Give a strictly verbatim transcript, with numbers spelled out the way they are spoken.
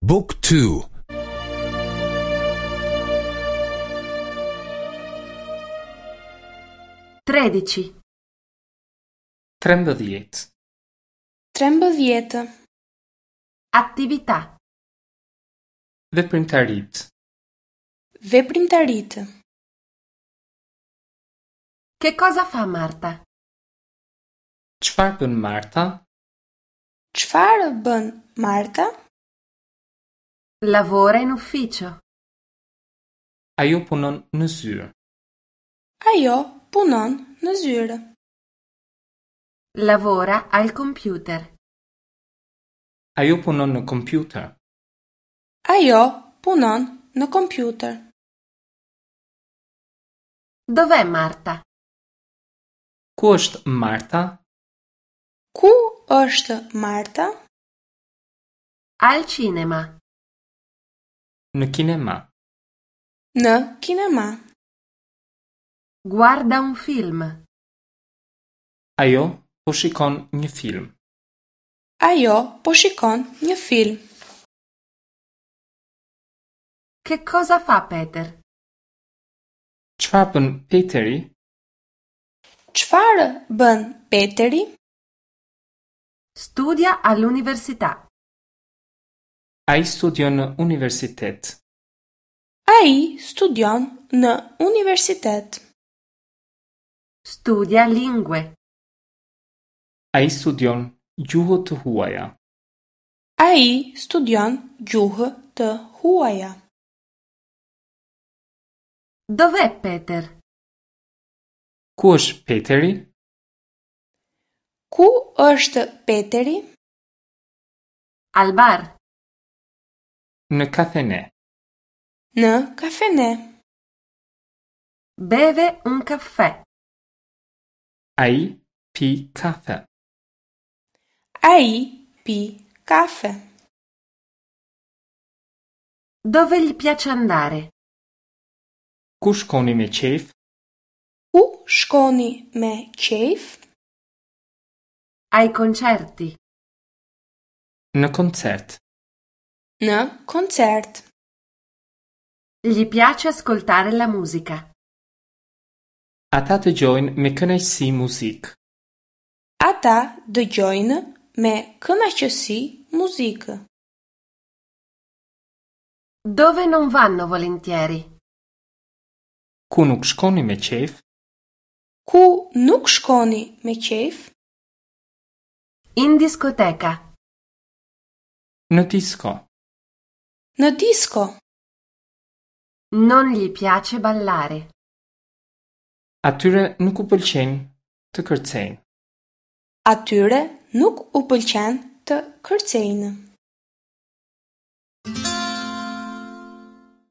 Book two. Tredici. Trembëdhjetë. Trembëdhjetë. Attività. Veprimtaritë. Veprimtaritë. Che cosa fa Marta? Çfarë bën Marta? Çfarë bën Marta? Lavora in ufficio. Ajo punon në zyrë. Ajo punon në zyrë. Lavora al computer. Ajo punon në kompjuter. Ajo punon në kompjuter. Dov'è Marta? Ku është Marta? Ku është Marta? Al cinema. Në kinema. Në kinema. Guarda un film. Ajo po shikon një film. Ajo po shikon një film. Che cosa fa Peter? Çfarë bën Peteri? Çfarë bën Peteri? Studia all'università. Ai studion në universitet. Ai studion në universitet. Studia lingue. Ai studion gjuhë të huaja. Ai studion gjuhë të huaja. Dov'è Peter? Ku është Peteri? Ku është Peteri? Al bar. Në kafene. Në kafene. Beve un caffè. Ai pi kafe. Ai pi kafe. Dove gli piace andare? Ku shkoni me qejf? Ku shkoni me qejf? Ai concerti. Në koncert. Në koncert. Gli piace ascoltare la musica. Ata dëgjojnë me kënaqësi muzikë. Ata dëgjojnë me kënaqësi muzikë. Dove non vanno volentieri? Ku nuk shkoni me qejf? Ku nuk shkoni me qejf? In discoteca. Në disko. Në disko. Non gli piace ballare. Atyre nuk u pëlqen të kërcejnë. Atyre nuk u pëlqen të kërcejnë.